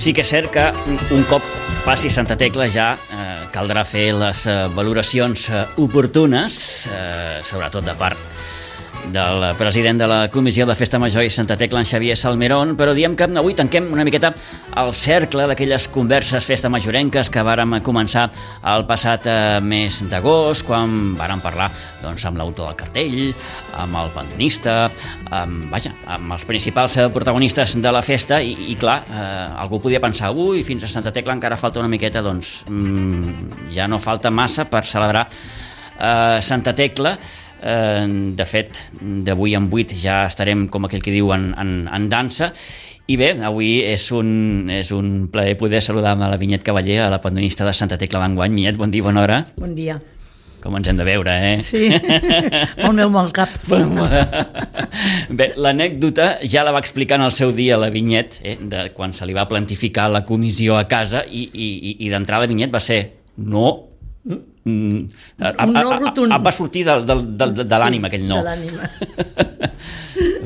Sí que és cert que un cop passi Santa Tecla ja caldrà fer les valoracions oportunes, sobretot de part del president de la Comissió de Festa Major i Santa Tecla, en Xavier Salmerón, però diem que avui tanquem una miqueta el cercle d'aquelles converses festa majorenques que vàrem començar el passat mes d'agost, quan vàrem parlar amb l'autor del cartell, amb el pandonista, amb els principals protagonistes de la festa i clar, algú podia pensar, fins a Santa Tecla encara falta una miqueta, ja no falta massa per celebrar Santa Tecla. De fet, d'avui en 8 ja estarem, com aquell que diu, en dansa. I bé, avui és un plaer poder saludar amb la Vinyet Cavaller, a la pandonista de Santa Tecla d'enguany. Vinyet, bon dia, bona hora. Bon dia. Com ens hem de veure, eh? Sí, el meu mal cap. Bé, l'anècdota ja la va explicar en el seu dia la Vinyet, de quan se li va plantificar la comissió a casa i d'entrada la Vinyet va ser no. Va sortir de l'ànima, aquell no. De l'ànima.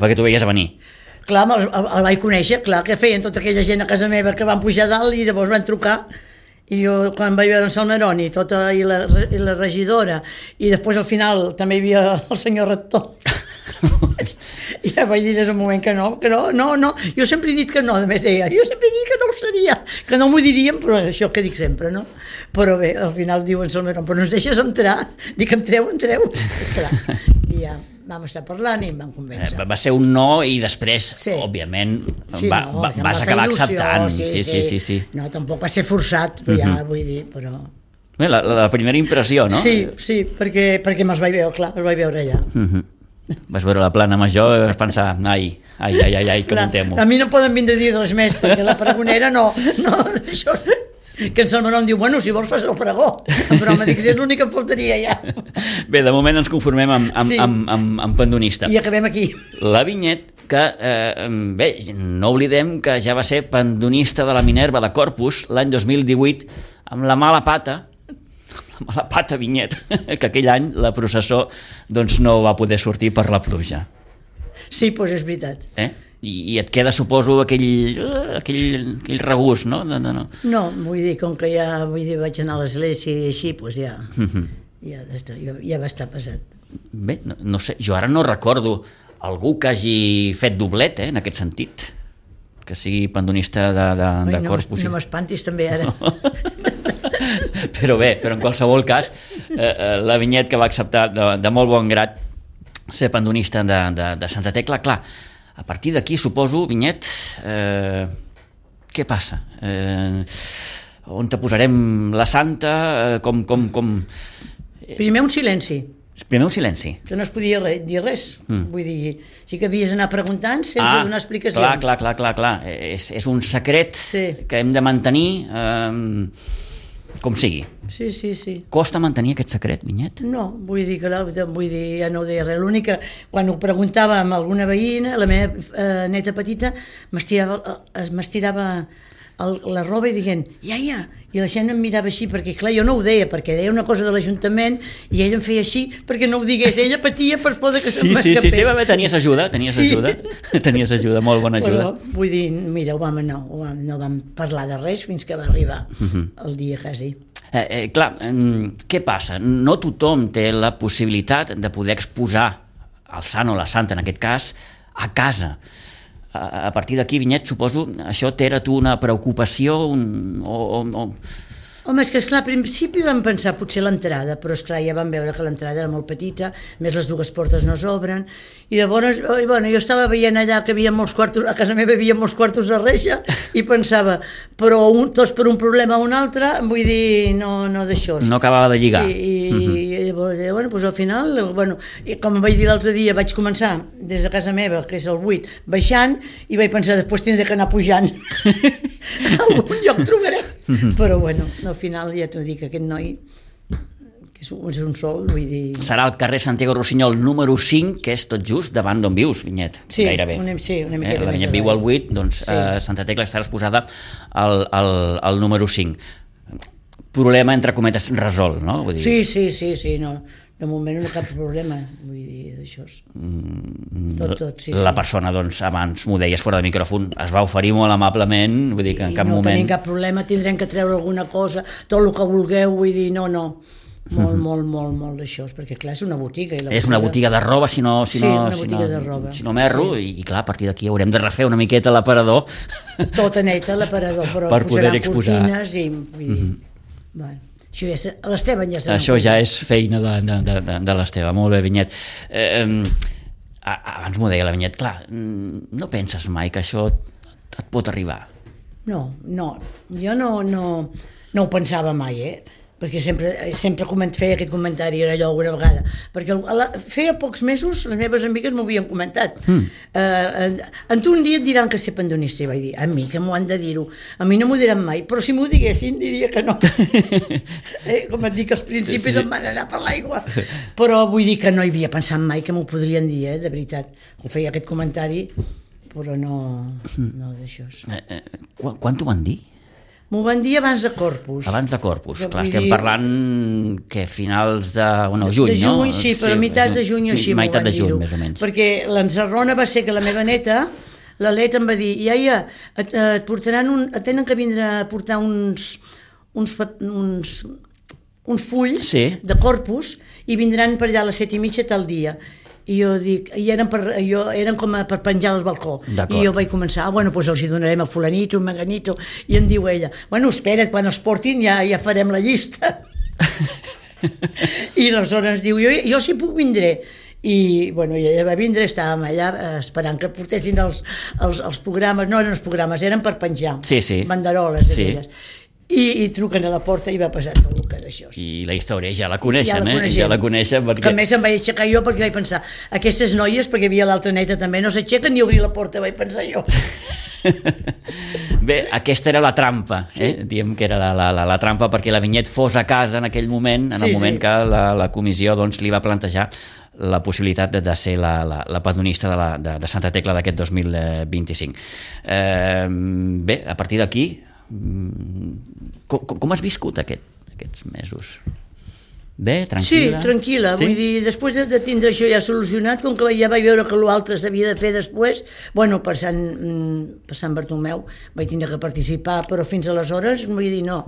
Perquè tu veies a venir. Clar, el vaig conèixer, clar, que feien tota aquella gent a casa meva que van pujar dalt i llavors van trucar. I jo, quan vaig veure en Salmerón i la regidora, i després al final també hi havia el senyor rector, i ja vaig dir des del moment que no, jo sempre he dit que no, a més deia, jo sempre he dit que no ho seria, que no m'ho diríem, però això que dic sempre, no? Però bé, al final diuen Salmerón, però no ens deixes entrar, dic, entreu, clar, i ja vam estar parlant i em van convèncer. Va ser un no i després, òbviament, vas acabar acceptant. Sí. No, tampoc va ser forçat, ja vull dir, però... Bé, la primera impressió, no? Sí, perquè me'ls vaig veure, clar, els vaig veure allà. Vas veure la plana major i vas pensar, ai, que m'ho temo. A mi no poden vindre a dir res més, perquè la pregonera no, això... Que en Salmerón diu, bueno, si vols fas el pregó, però m'ha dit que és l'únic que em faltaria ja. Bé, de moment ens conformem amb pandonista. I acabem aquí. La Vinyet, que, bé, no oblidem que ja va ser pandonista de la Minerva de Corpus l'any 2018 amb la mala pata, Vinyet, que aquell any la processó no va poder sortir per la pluja. Sí, doncs és veritat. I et queda, suposo, aquell regust, no? No, vull dir, com que ja vaig anar a l'església i així, doncs ja va estar pesat. Bé, no sé, jo ara no recordo algú que hagi fet doblet, en aquest sentit, que sigui pandonista de Corpus. No m'espantis també ara. Però en qualsevol cas, la Vinyet, que va acceptar de molt bon grat ser pandonista de Santa Tecla, clar, a partir d'aquí, suposo, Vinyet, què passa? On te posarem la santa? Com... Primer un silenci. Primer un silenci. Que no es podia dir res. Vull dir, sí que havies d'anar preguntant sense donar explicacions. Clar. És un secret que hem de mantenir com sigui. Sí. Costa mantenir aquest secret, Vinyet? No, vull dir, ja no ho deia res. L'únic que, quan ho preguntava amb alguna veïna, la meva neta petita m'estirava la roba i dient, ja, i la gent em mirava així, perquè clar, jo no ho deia, perquè deia una cosa de l'Ajuntament i ella em feia així perquè no ho digués, ella patia per por que se'm escapés. Sí, tenies ajuda, molt bona ajuda. Però, vull dir, mira, no vam parlar de res fins que va arribar el dia quasi. Clar, què passa? No tothom té la possibilitat de poder exposar el sant o la santa, en aquest cas, a casa. A partir d'aquí, Vinyet, suposo, això t'era tu una preocupació Home, és que esclar, al principi vam pensar potser l'entrada, però esclar, ja vam veure que l'entrada era molt petita, més les dues portes no s'obren, i llavors, jo estava veient allà que hi havia molts quartos, a casa meva hi havia molts quartos de reixa, i pensava, però tots per un problema o un altre, vull dir, no d'això. No acabava de lligar. Sí, i llavors, doncs al final, com vaig dir l'altre dia, vaig començar des de casa meva, que és el 8, baixant, i vaig pensar, després tindré que anar pujant. Algun lloc trobarem. Però al final ja t'ho dic, aquest noi que és un sol, vull dir... Serà el carrer Santiago Rossinyol número 5, que és tot just davant d'on vius, Vinyet, gairebé. Una miqueta més. La Vinyet viu al 8, doncs Santa Tecla estarà exposada al número 5. Problema, entre cometes, resolt, no? Sí, no. De moment no hi ha cap problema, vull dir, d'això. Tot, sí. La persona, doncs, abans m'ho deies fora de micròfon, es va oferir molt amablement, vull dir que en cap moment... No tenim cap problema, tindrem que treure alguna cosa, tot el que vulgueu, vull dir, no. Molt d'això, perquè clar, és una botiga. És una botiga de roba, si no m'erro, sí. I clar, a partir d'aquí haurem de refer una miqueta l'aparador. Tota neta l'aparador, però per poder exposar. Cortines i... Bueno, això ja l'Esteban ja això ja és feina de l'Esteve. Molt bé, Vinyet. Abans m'ho deia la Vinyet, clar, no penses mai que això et pot arribar? No, jo no ho pensava mai, perquè sempre feia aquest comentari, era allò alguna vegada, perquè feia pocs mesos les meves amigues m'ho havien comentat. En tu un dia et diran que ser pandonista, i vaig dir, a mi que m'ho han de dir-ho, a mi no m'ho diran mai, però si m'ho diguessin diria que no. Com et dic, els principis em van anar per l'aigua, però vull dir que no hi havia pensat mai que m'ho podrien dir, de veritat. Ho feia aquest comentari, però no d'això. Quan t'ho van dir? M'ho van dir abans de Corpus. Abans de Corpus, clar, estem parlant que finals de juny, no? De juny, sí, però mitats de juny o així m'ho van dir-ho. Més o menys. Perquè l'encerrona va ser que la meva neta, la Let em va dir, iaia, et tenen que vindre a portar uns fulls de Corpus i vindran per allà a les 7:30 tal dia. I jo dic, eren com per penjar al balcó. I jo vaig començar, doncs els hi donarem a fulanito, a menganito, i em diu ella, bueno, espera't, quan els portin ja farem la llista. I aleshores diu, jo sí puc vindré. I ella va vindre, estàvem allà esperant que portessin els programes, no eren els programes, eren per penjar, banderoles d'aquelles. I truquen a la porta i va passar tot el que d'això. I la història ja la coneixen, Ja la coneixen perquè... Que a més em vaig aixecar jo perquè vaig pensar, aquestes noies, perquè hi havia l'altra neta també, no s'aixequen ni obrir la porta, vaig pensar jo. Bé, aquesta era la trampa, diem que era la trampa perquè la Vinyet fos a casa en aquell moment, en el moment que la comissió li va plantejar la possibilitat de ser la padronista de Santa Tecla d'aquest 2025. Bé, a partir d'aquí, com has viscut aquests mesos? Bé, tranquil·la? Sí, tranquil·la, vull dir, després de tindre això ja solucionat, com que ja vaig veure que l'altre s'havia de fer després, per Sant Bartomeu vaig tindre que participar, però fins aleshores, vull dir, no,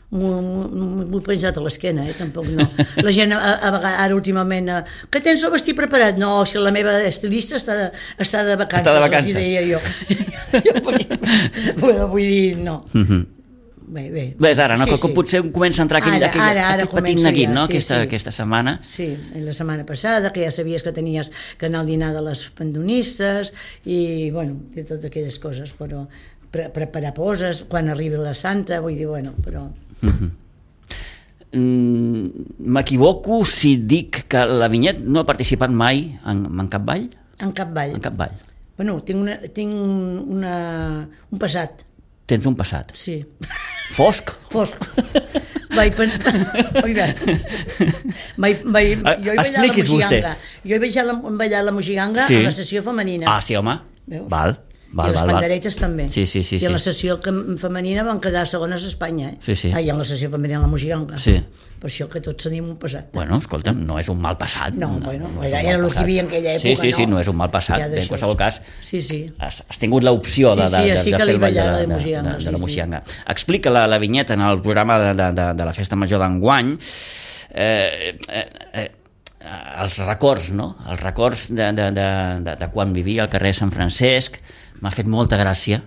m'ho he penjat a l'esquena, tampoc no. La gent a vegades, ara últimament, que tens el vestit preparat? No, si la meva estilista està de vacances. Està de vacances. Els deia jo. Vull dir, no. Bé, ara, no? Com potser comença a entrar aquest petit neguit, no? Aquesta setmana. Sí, la setmana passada, que ja sabies que tenies que anar al dinar de les pandonistes i, de totes aquelles coses, però preparar poses quan arribi la Santa, vull dir, però... M'equivoco si dic que la Vinyet no ha participat mai en cap ball? En cap ball. En cap ball. Tinc un passat. Tens un passat? Sí. Fosc? Fosc. Expliqui's vostè. Jo vaig ballar la Mojiganga a la sessió femenina. Ah, sí, home. Val. I les panderetes també. Sí. I en la sessió femenina van quedar segones a Espanya. Sí. I en la sessió femenina la Mojiganga. Sí. Per això que tots tenim un passat. Bueno, escolta'm, no és un mal passat. No, era el que hi havia en aquella època, Sí, no és un mal passat. En qualsevol cas, has tingut l'opció de fer el ball de la Mojiganga. Explica la Vinyet en el programa de la Festa Major d'enguany els records, no? Els records de quan vivia al carrer Sant Francesc. M'ha fet molta gràcia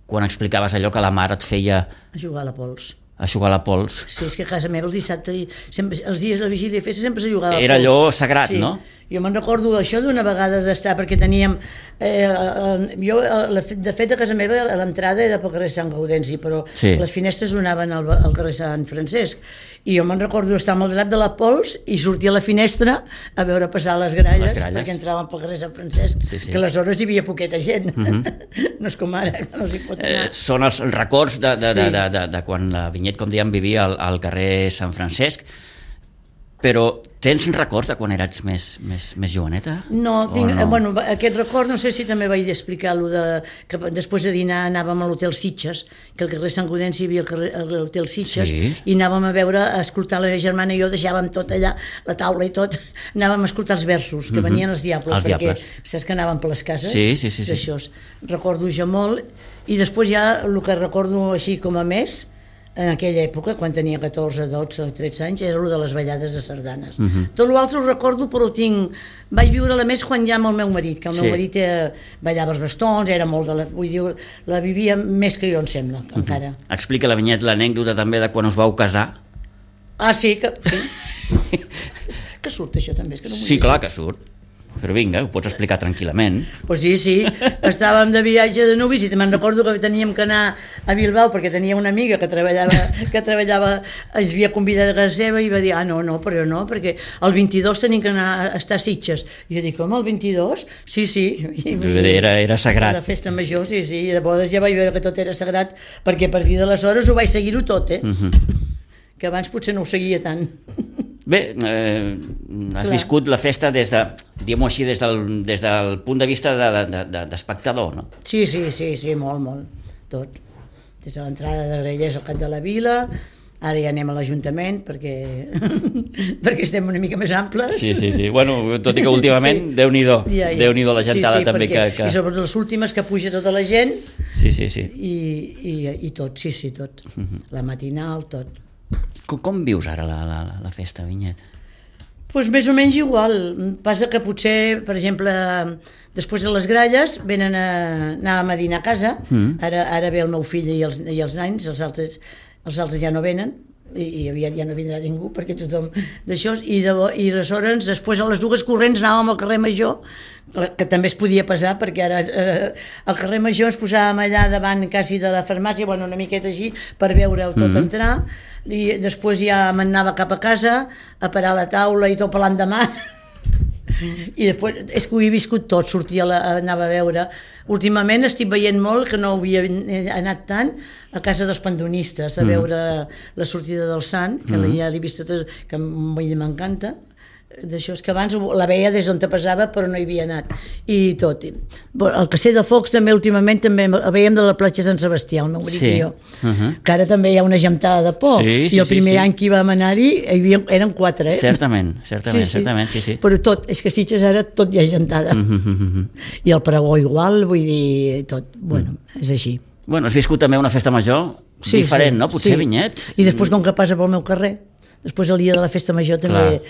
quan explicaves allò que la mare et feia... A jugar a la pols. A jugar a la pols. Sí, és que a casa meva els dissabtes, els dies de la vigília de festa sempre se jugava a la pols. Era allò sagrat, no? Jo me'n recordo d'això d'una vegada d'estar, perquè teníem... de fet, a casa meva l'entrada era pel carrer Sant Gaudenci, però les finestres donaven al carrer Sant Francesc. I jo me'n recordo d'estar amb el drap de la pols i sortir a la finestra a veure passar les gralles. Perquè entraven pel carrer Sant Francesc, que aleshores hi havia poqueta gent. No és com ara, que no s'hi pot anar. Són els records de quan la Vinyet, com dèiem, vivia al carrer Sant Francesc, però Tens records de quan eres més joveneta? No, bueno, aquest record, no sé si també vaig explicar-lo, que després de dinar anàvem a l'Hotel Sitges, que al carrer Sant Gaudenci hi havia l'Hotel Sitges, i anàvem a escoltar la meva germana i jo, deixàvem tot allà, la taula i tot, anàvem a escoltar els versos, que venien els diables, perquè saps que anàvem per les cases, d'això, recordo jo molt, i després ja el que recordo així com a més, en aquella època, quan tenia 14, 12, 13 anys, era el de les ballades de sardanes. Tot l'altre ho recordo, però vaig viure-la més quan ja amb el meu marit, que el meu marit ballava els bastons, era molt vull dir, la vivia més que jo, em sembla, encara. Explica la Vinyet l'anècdota també de quan us vau casar. Ah, sí, que surt això també? Sí, clar que surt. Però vinga, ho pots explicar tranquil·lament. Pues sí, estàvem de viatge de nuvis i me'n recordo que teníem que anar a Bilbao perquè tenia una amiga que treballava, ens havia convidat a casa seva i va dir, no, però no, perquè el 22 tenim que anar a estar a Sitges. I jo dic, com, el 22? Sí. Era sagrat. La festa major, sí, i de bodes ja vaig veure que tot era sagrat, perquè a partir d'aleshores ho vaig seguir-ho tot, que abans potser no ho seguia tant. Bé, has viscut la festa des del punt de vista d'espectador, no? Sí, molt, tot. Des de l'entrada de Grallers al cap de la vila, ara ja anem a l'Ajuntament perquè estem una mica més amples. Sí. Bueno, tot i que últimament, Déu-n'hi-do la gentada també. I sobretot les últimes que puja tota la gent. Sí. I tot, tot. La matinal, tot. Com vius ara la festa, Vinyet? Doncs més o menys igual. Passa que potser, per exemple, després de les gralles anàvem a dinar a casa. Ara ve el meu fill i els nens, els altres ja no venen, i aviat ja no vindrà ningú perquè tothom d'això, i aleshores després a les 2 corrents anàvem al carrer Major, que també es podia passar perquè ara al carrer Major ens posàvem allà davant quasi de la farmàcia, bueno, una miqueta així per veure-ho tot entrar, i després ja m'anava cap a casa a parar a la taula i tot per l'endemà. I després és que ho he viscut tot, anava a veure. Últimament estic veient molt, que no havia anat tant, a casa dels pandonistes a veure la sortida del Sant, que ja l'he vist tot, que m'encanta. D'això és que abans la veia des d'on te passava però no hi havia anat i tot. El Cacer de Focs també últimament també el veiem de la platja Sant Sebastià, el meu marit i jo, que ara també hi ha una gentada de por, i el primer any que hi vam anar-hi eren 4, certament. Però tot, és que Sitges ara tot hi ha gentada, i el pregó igual, vull dir, tot, bueno, és així. Bueno, has viscut també una festa major diferent, no? Potser, Vinyet? I després com que passa pel meu carrer, després el dia de la festa major també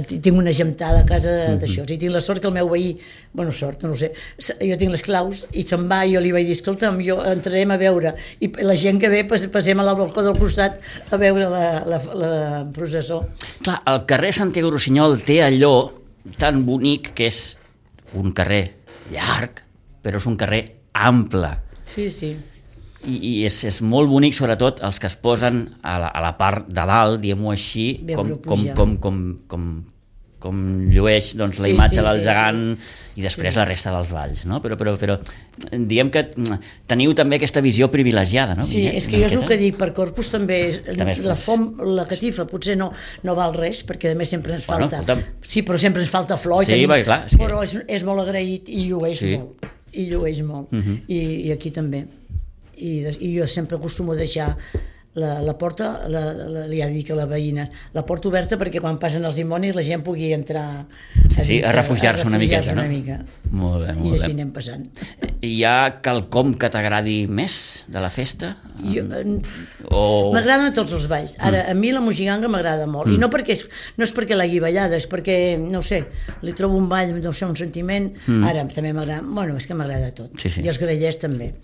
tinc una gentada a casa d'això, i tinc la sort que el meu veí, bueno, sort, no ho sé, jo tinc les claus i se'n va i jo li vaig dir, escolta'm, jo entrarem a veure, i la gent que ve passem a la balcó del costat a veure la processó. Clar, el carrer Santiago Rossinyol té allò tan bonic que és un carrer llarg, però és un carrer ample. Sí. I és molt bonic, sobretot els que es posen a la part de dalt, diguem-ho així, com llueix la imatge del gegant i després la resta dels balls, no? Però diguem que teniu també aquesta visió privilegiada, no? Sí, és que jo és el que dic, per Corpus també la catifa potser no val res, perquè a més sempre ens falta, sí, però sempre ens falta flor, però és molt agraït i llueix molt, i aquí també. I jo sempre acostumo a deixar la porta, li ha dit a la veïna, la porta oberta perquè quan passen els dimonis la gent pugui entrar a refugiar-se una miqueta, no? Molt bé. I així anem passant. Hi ha quelcom que t'agradi més de la festa? M'agraden tots els balls. Ara, a mi la mojiganga m'agrada molt, i no és perquè l'hagi ballada, és perquè, no sé, li trobo un ball, no sé, un sentiment. Ara també m'agrada, bueno, és que m'agrada tot, i els grallers també.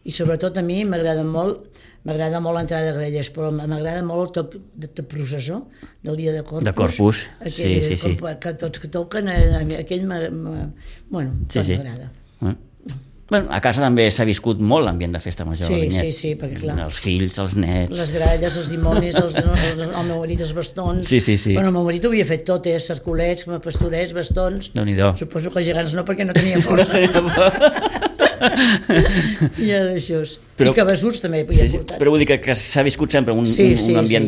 I sobretot a mi m'agrada molt l'entrada de Grallers, però m'agrada molt el toc de processó del dia de Corpus. De Corpus, sí. Que tots que toquen, aquell m'agrada. Bueno, a casa també s'ha viscut molt l'ambient de festa major. Sí, perquè clar. Els fills, els nets... Les gralles, els dimonis, el meu marit, els bastons... Sí. Bueno, el meu marit ho havia fet tot, cercolets, pastorets, bastons... Déu-n'hi-do. Suposo que els gegants no, perquè no tenia força. I ara això és. I cabassuts també hi ha portat. Però vull dir que s'ha viscut sempre un ambient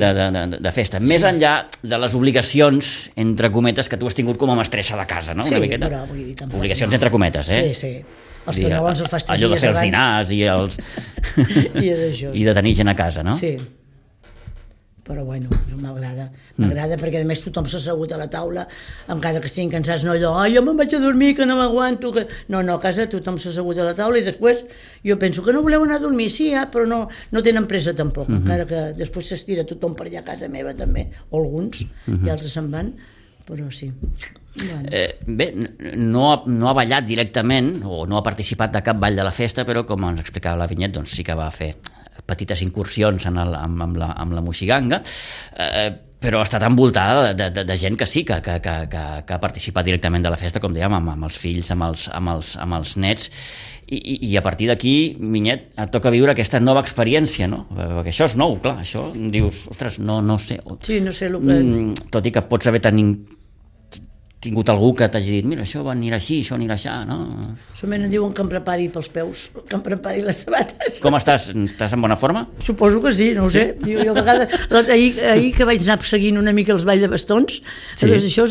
de festa. Més enllà de les obligacions, entre cometes, que tu has tingut com a mestressa de casa, no? Sí, però vull dir tampoc. Obligacions entre cometes, Sí, sí. Els canelons els fas 3 dies abans. Allò de fer els dinars i els... I de tenir gent a casa, no? Sí. Però bueno, m'agrada perquè a més tothom s'ha assegut a la taula, encara que estiguin cansats, no allò, jo me'n vaig a dormir, que no m'aguanto, que... No, a casa tothom s'ha assegut a la taula i després jo penso que no voleu anar a dormir, sí, però no tenen pressa tampoc, encara que després s'estira tothom per allà a casa meva també, o alguns, i altres se'n van, però sí. Bueno. Bé, no ha ballat directament o no ha participat de cap ball de la festa, però com ens explicava la Vinyet, doncs sí que va fer petites incursions amb la moixiganga, però ha estat envoltada de gent que sí, que ha participat directament de la festa, com dèiem, amb els fills, amb els nets, i a partir d'aquí, Vinyet, et toca viure aquesta nova experiència, no? Perquè això és nou, clar, això dius, ostres, no sé. Sí, no sé el que... Tot i que pots haver tingut algú que t'hagi dit, mira, això anirà així, això anirà així, no? Solament em diuen que em prepari pels peus, que em prepari les sabates. Com estàs? Estàs en bona forma? Suposo que sí, no ho sé. Jo a vegades, ahir que vaig anar seguint una mica els balls de bastons,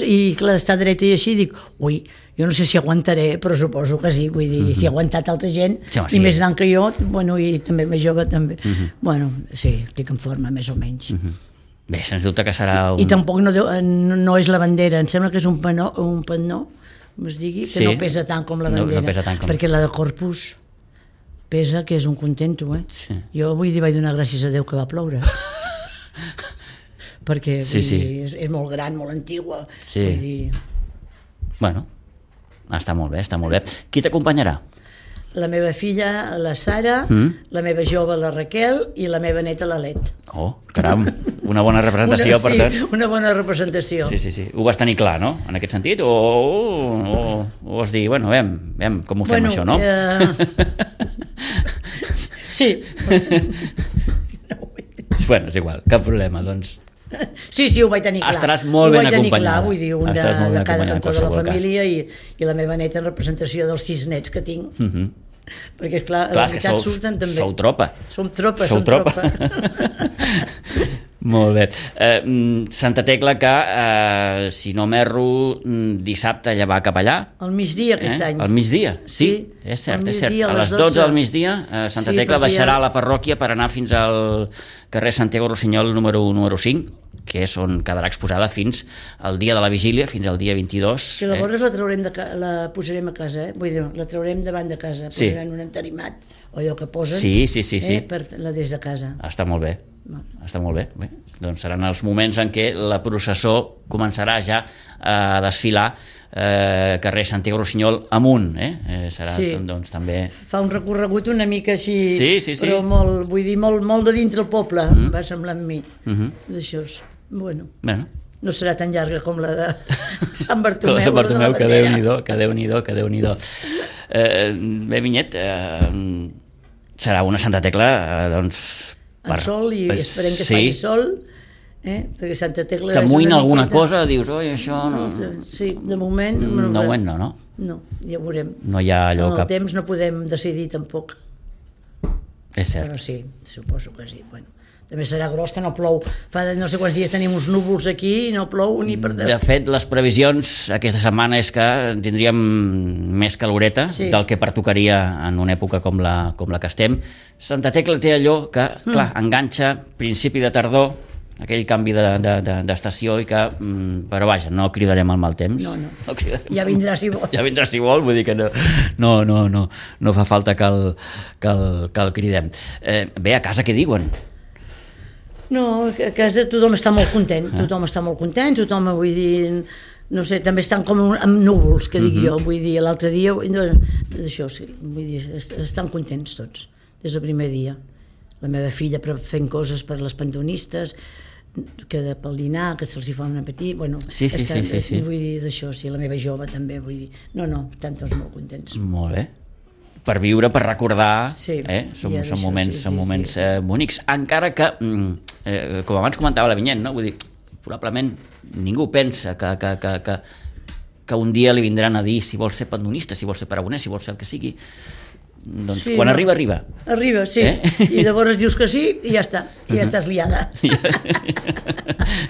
i clar, estar dreta i així, dic, ui, jo no sé si aguantaré, però suposo que sí, vull dir, si ha aguantat altra gent, i més gran que jo, bueno, i també més jove també. Bueno, sí, estic en forma, més o menys. Bé, sens dubte que serà I tampoc no és la bandera, em sembla que és un panó, com es digui, que no pesa tant com la bandera, no pesa tant com... perquè la de Corpus pesa, que és un contento, Sí. Jo vull dir, vaig donar gràcies a Déu que va ploure. Perquè és molt gran, molt antigua. Sí. Vull dir... Bueno, està molt bé. Qui t'acompanyarà? La meva filla, la Sara, la meva jove, la Raquel, i la meva neta, la Let. Oh, caram, una bona representació, per tant. Sí, una bona representació. Sí. Ho vas tenir clar, no?, en aquest sentit? O vas dir, bueno, veiem com ho fem, això, no? Sí. Bueno, és igual, cap problema, doncs... Sí, ho vaig tenir clar. Estaràs molt ben acompanyada. Vull dir, un de cada cantó de la família i la meva neta en representació dels 6 nets que tinc. Perquè, clar, a la veritat surten també. Sou tropa. Som tropa. Molt bé. Santa Tecla, que, si no m'erro, dissabte ja va cap allà. Al migdia aquest any. Al migdia, sí, és cert. A les 12 del migdia, Santa Tecla deixarà la parròquia per anar fins al carrer Santiago Rossinyol número 5, que és on quedarà exposada fins al dia de la vigília, fins al dia 22. Que llavors la posarem a casa, vull dir, la traurem davant de casa, posarem un entarimat, o allò que posen, sí. Per la des de casa. Està molt bé. Bé, doncs seran els moments en què la processó començarà ja a desfilar carrer Santiago Rossinyol amunt, serà doncs també... Fa un recorregut una mica així, sí. Però molt, vull dir, molt de dintre el poble, va semblar amb mi, d'això. Bueno, no serà tan llarga com la de Sant Bartomeu. Sant Bartomeu, que Déu-n'hi-do. Bé, Vinyet, serà una Santa Tecla, doncs... En sol, i esperem que faci sol, perquè Santa Tecla... T'amoïna alguna cosa? Dius, oi, això... Sí, de moment... No, ja veurem. No hi ha allò que... En el temps no podem decidir tampoc. És cert. Però sí, suposo que sí, bueno. També serà gros que no plou. Fa no sé quants dies tenim uns núvols aquí i no plou ni per... De fet, les previsions aquesta setmana és que tindríem més caloreta del que pertocaria en una època com la que estem. Santa Tecla té allò que, clar, enganxa principi de tardor, aquell canvi d'estació i que, però vaja, no cridarem el mal temps. No. Ja vindrà si vol. Ja vindrà si vol, vull dir que no fa falta que el cridem. Bé, a casa què diuen? No, a casa tothom està molt content, tothom, vull dir, no sé, també estan com amb núvols, que dic jo, vull dir, l'altre dia, d'això, sí, vull dir, estan contents tots, des del primer dia. La meva filla fent coses per les pantonistes, que pel dinar, que se'ls hi fa un petit, bueno, sí. Vull dir, d'això, sí, la meva jove també, vull dir, no, estan tots molt contents. Molt bé. Per viure, per recordar, són moments bonics, encara que, com abans comentava la Vinyet, no? Vull dir, probablement ningú pensa que un dia li vindran a dir si vol ser pandonista, si vol ser paragonès, si vol ser el que sigui. doncs sí, quan arriba, arriba. Arriba, sí. I llavors dius que sí i ja està. I ja estàs liada.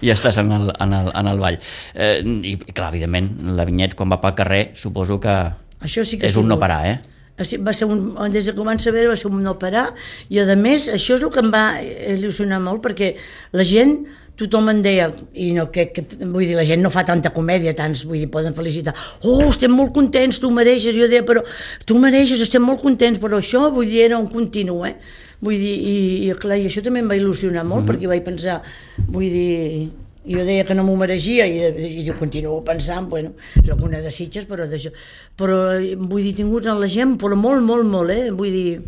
Ja estàs en el ball. I clar, evidentment, la Vinyet, quan va pel carrer, suposo que és un no parar, Va ser des de que ho van saber va ser un no parar, i a més això és el que em va il·lusionar molt, perquè la gent, tothom em deia, i no, vull dir, la gent no fa tanta comèdia, tants, vull dir, poden felicitar, estem molt contents, tu mereixes, jo deia, però tu mereixes, estem molt contents, però això, vull dir, era un continu, vull dir, i clar, i això també em va il·lusionar molt, perquè vaig pensar, vull dir, jo deia que no m'ho mereixia, i jo continuo pensant, bueno, és alguna de Sitges, però d'això, però vull dir, he tingut la gent, però molt, vull dir,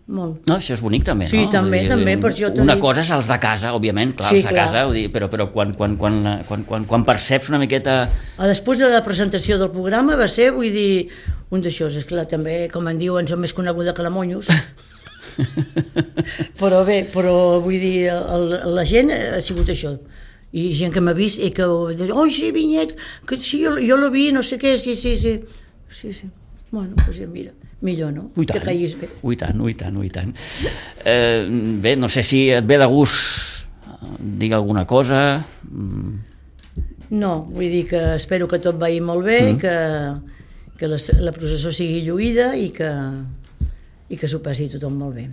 molt. No, això és bonic també, sí, no? Sí, també, per això una cosa és els de casa, òbviament, clar, els de casa, però quan perceps una miqueta... Després de la presentació del programa va ser, vull dir, un d'això, és clar, també, com en diuen, som més coneguda que la Monyos, però bé, vull dir, la gent ha sigut això, i gent que m'ha vist i que sí, Vinyet, que sí, jo l'he vist, no sé què, sí, bueno, doncs ja mira, millor, no? Que caiguis bé. Ui tant. Bé, no sé si et ve de gust dir alguna cosa. No, vull dir que espero que tot vagi molt bé, que la processó sigui lluïda i que s'ho passi tothom molt bé.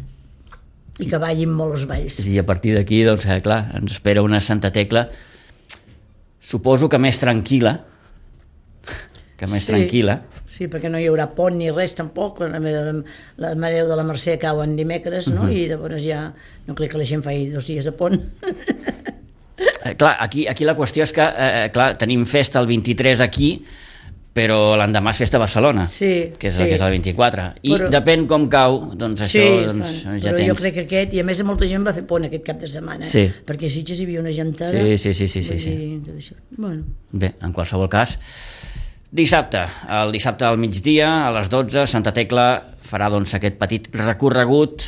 I que ballin molt els balls. I a partir d'aquí, doncs, clar, ens espera una Santa Tecla, suposo que més tranquil·la, tranquil·la. Sí, perquè no hi haurà pont ni res tampoc, la Mare de la Mercè cauen dimecres, no? I llavors ja no crec que la gent faci 2 dies de pont. Clar, aquí la qüestió és que clar, tenim festa el 23 aquí, però l'endemà és festa a Barcelona, que és el 24, i depèn com cau, doncs això ja tens. Però jo crec que aquest, i a més molta gent va fer pont aquest cap de setmana, perquè a Sitges hi havia una gentada. Sí. Bé, en qualsevol cas, el dissabte al migdia, a les 12, Santa Tecla farà doncs aquest petit recorregut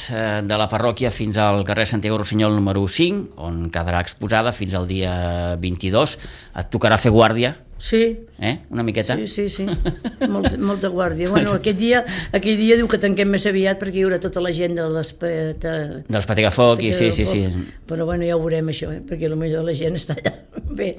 de la parròquia fins al carrer Santiago Rossinyol número 5, on quedarà exposada fins al dia 22. Et tocarà fer guàrdia? Sí. Una miqueta? Sí. Molta guàrdia. Bueno, aquell dia diu que tanquem més aviat perquè hi haurà tota la gent dels Patafoc, sí. Però bueno, ja ho veurem això, perquè potser la gent està allà. Bé.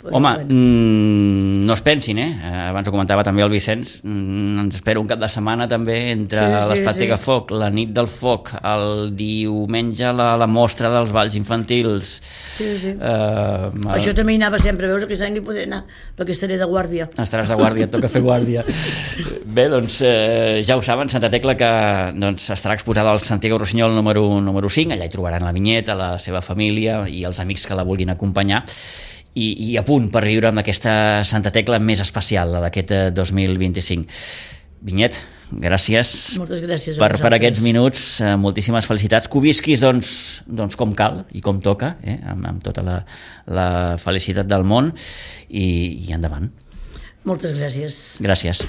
Home, no es pensin, abans ho comentava també el Vicenç, ens espera un cap de setmana també entre l'Espatega Foc, la nit del foc, el diumenge la mostra dels balls infantils. Això també hi anava sempre, veus, aquest any no hi podré anar perquè estaré de guàrdia. Estaràs de guàrdia, et toca fer guàrdia. Bé, doncs ja ho saben, Santa Tecla, que estarà exposada al Santiago Rossinyol número 5, allà hi trobaran la Vinyet, la seva família i els amics que la vulguin acompanyar, i a punt per viure amb aquesta Santa Tecla més especial, la d'aquest 2025. Vinyet, gràcies. Moltes gràcies per aquests minuts, moltíssimes felicitats, que ho visquis doncs com cal i com toca, amb tota la felicitat del món, i endavant. Moltes gràcies. Gràcies.